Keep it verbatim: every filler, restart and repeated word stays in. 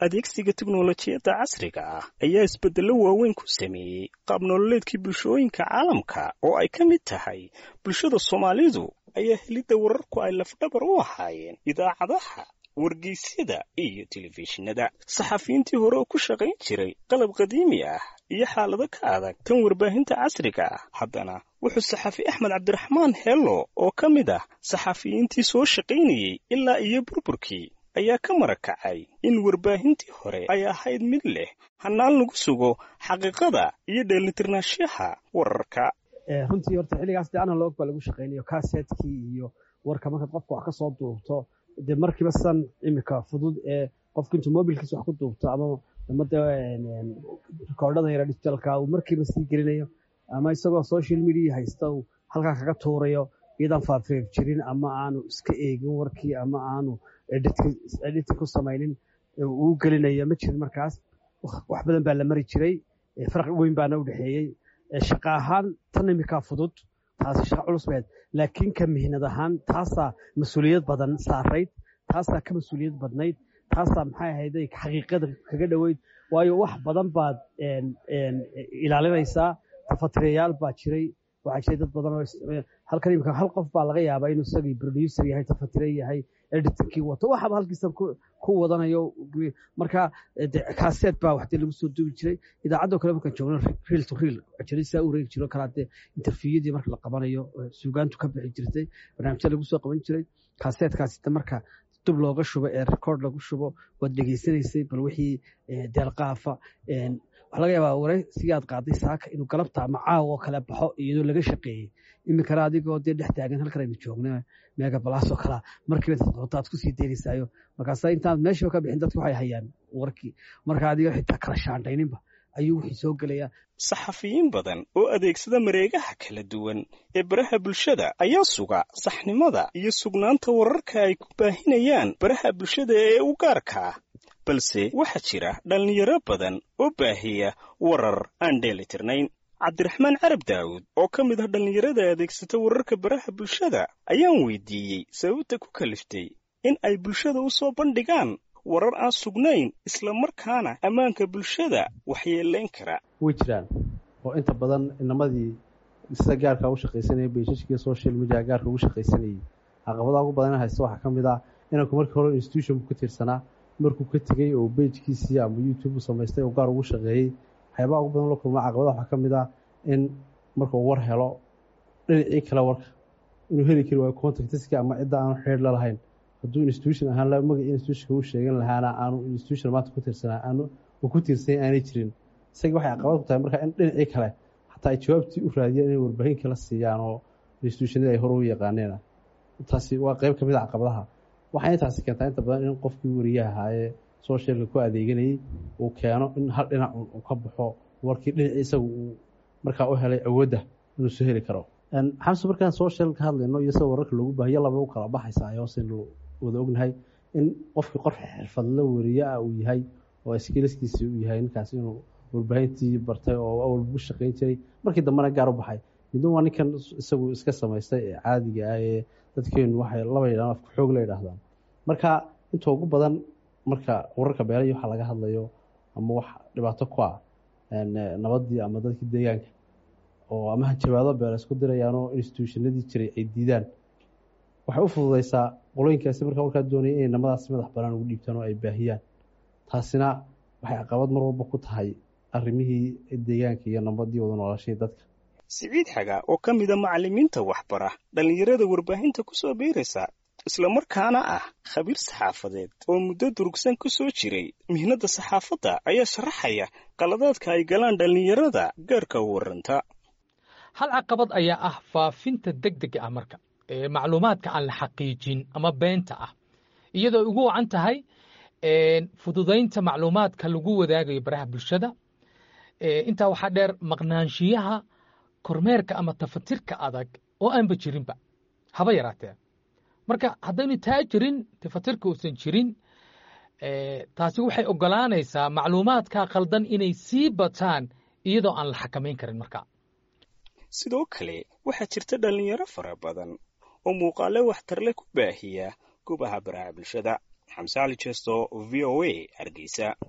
Adeegsiga tiknolojiyadda casriga ah ayaa isbeddello waaweyn ku sameeyey qaab nololeedkii bulshooyinka caalamka, oo ay ka mid tahay bulshada Soomaalidu, ayaa helidda wararku ay lafdhabar u ahaayeen idaacadaha, wargeysyada iyo telefishinada. Saxafiyiintii hore oo ku shaqayn jiray qalab qadiimi ah iyo xaalado ka adag tan warbaahinta casriga ah, haddana wuxuu saxafi Axmed Cabdiraxmaan Hello, oo ka mid ah saxafiyiintii soo shaqaynayey ilaa iyo burburkii, ayaa ka marakacay in warbaahintii hore ay ahayd mid leh hannaan lagu sugo xaqiiqada iyo dheelitirnaanshaha wararka. Runtii horta xilligaas dee analog baa lagu shaqaynayo, kasetkii iyo warka markaad qofka wax ka soo duubto, dee markiiba san imika fudud ee qofka intuu mobilkiisa wax ku duubto ama ama dee rikoordhada yara digitalka uu markiiba sii gelinayo, ama isagoo social media haysta uu halkaa kaga tuurayo iyadaan faafreeb jirin, ama aanu iska eegin warkii, ama aanu editing ku samaynin uu gelinayo ma jirin. Markaas wax badan baa la mari jiray, farqi weyn baana u dhexeeyey. Shaqa ahaan tan imikaa fudud, taasi shaqa culus bayd, laakiin ka mihnad ahaan taasaa mas-uuliyad badan saarayd, taasaa ka mas-uuliyad badnayd, taasaa maxay ahayday xaqiiqada kaga dhoweyd, waayo wax badan baad ilaalinaysaa. Tafatirayaal baa jiray, waxaa jiray dad badan oo halkan imika hal qof baa laga yaabaa inuu isagii producer yahay, tafatire yahay, editingkii wato, waxaba halkiisa ku wadanayo. Marka kaseet baa wax dee lagu soo duubi jiray. Idaacadoo kale markaan joogno, reel to reel jarisaa u reegi jiro kalaa, dee interviewyadii marka la qabanayo suugaantu ka bixi jirtay, barnaamijya lagu soo qaban jiray. Kaseetkaasi marka dub looga shubo ee record lagu shubo, waad dhegeysanaysay bal wixii deelqaafa. Waxaa laga yaabaa waraysigii aad qaaday saaka inuu galabta ama caawa oo kale baxo iyadoo laga shaqeeyey. Iminkana adigoo dee dhex taagan halkan aynu joogna, mega balaas oo kalaa, markiiba intaad qabto aad kusii deynaysaayo. Markaasa intaad meeshiiba ka bixin dadki waxay hayaan warkii, marka adigoo xitaa kala shaandhayninba ayuu wixii soo gelayaa. Saxafiyiin badan oo adeegsada mareegaha kala duwan ee baraha bulshada ayaa suga saxnimada iyo sugnaanta wararka ay ku baahinayaan baraha bulshada ee u gaarka ah, balse waxaa jira dhallinyaro badan oo baahiya warar aan dheelitirnayn. Cabdiraxmaan Carab Daawud, oo ka mid ah dhallinyarada adeegsata wararka baraha bulshada, ayaan weydiiyey sababta ku kaliftay in ay bulshada u soo bandhigaan warar aan sugnayn, isla markaana ammaanka bulshada waxyeelayn kara. Way jiraan, oo inta badan inamadii sida gaarka ugu shaqaysanayay pages-kii social media gaarka ugu shaqaysanayay, caqabadaha ugu badan haysta waxaa ka mid ah inanku markii hore institution ku tiirsanaa, markuu ka tegey oo page-kiisii ama YouTube u samaystay oo gaar ugu shaqeeyey, waxyaabaha ugu badan la kulma caqabadaha waxaa ka mid ah in markuu war helo, dhinacii kale warka inuu heli kari waayo, contacts-ka ama cidda aanu xidhiir la lahayn. Hadduu institution ahaan magacii institutionka u sheegan lahaana, aanu institution maanta ku tiirsanaa aanu uu ku tiirsanya aanay jirin. Isaga waxay caqabad ku tahay marka in dhinacii kale xataa ay jawaabtii u raadiyaan, inay warbaahin kala siiyaan oo institutionadii ay hore u yaqaaneen. Taasi waa qeyb ka mid a caqabadaha. Waxayna taasi keentaa inta badan in qofkii wariyaha ahaa ee socialka ku adeeganayay uu keeno in hal dhinac uu ka baxo warkii, dhinacii isagu uu markaa u helay awoodda inuu soo heli karo. Xamse, markaan social ka hadlayno iyo sida wararka loogu baahiyo, laba u kala baxaysa ay hoose wada ognahay in qofkii qof xirfadla wariye ah uu yahay oo skills-kiisi uu yahay ninkaas inuu warbaahintii bartay oo awal ugu shaqayn jiray, markii dambena gaar u baxay. Midna waa ninkan isagu iska samaystay ee caadiga ah ee dadkeenu waxay laba yidhahdaan afka xoog la yidhaahdaan. Marka inta ugu badan marka wararka beelaya waxa laga hadlayo ama wax dhibaato ku ah nabaddii ama dadkii deegaanka oo ama hanjabaado beela isku dirayaanoo institutionadii jiray ay diidaan, waxay u fududeysaa qolooyinkaasi markaa warkaa doonaya inay namadaasi madax banaan ugu dhiibtaan oo ay baahiyaan. Taasina waxay caqabad mar walba ku tahay arrimihii deegaanka iyo nabadii wada noolashadii dadka. Siciid Xaga, oo ka mida macallimiinta waxbara dhallinyarada warbaahinta ku soo biiraysa, islamarkaana ah khabiir saxaafadeed oo muddo durugsan ku soo jiray mihnadda saxaafadda, ayaa sharaxaya qaladaadka ay galaan dhallinyarada gaarka u warranta. Hal caqabad ayaa ah faafinta degdega ah marka ee macluumaadka aan la xaqiijin ama beenta ah, iyadoo ugu wacan tahay fududaynta macluumaadka lagu wadaagayo baraha bulshada. Intaa waxaa dheer maqnaanshiyaha kormeerka ama tafatirka adag oo aanba jirinba haba yaraatee. Marka haddaynu taa jirin, tafatirka uusan jirin, taasi waxay oggolaanaysaa macluumaadka qaldan inay sii bataan iyadoo aan la xakamayn karin marka. Sidoo kale waxaa jirta dhallinyaro fara badan oo muuqaale waxtarle ku baahiya goobaha baraha bulshada. Xamse Cali Jeesto, V O A, Hargeysa.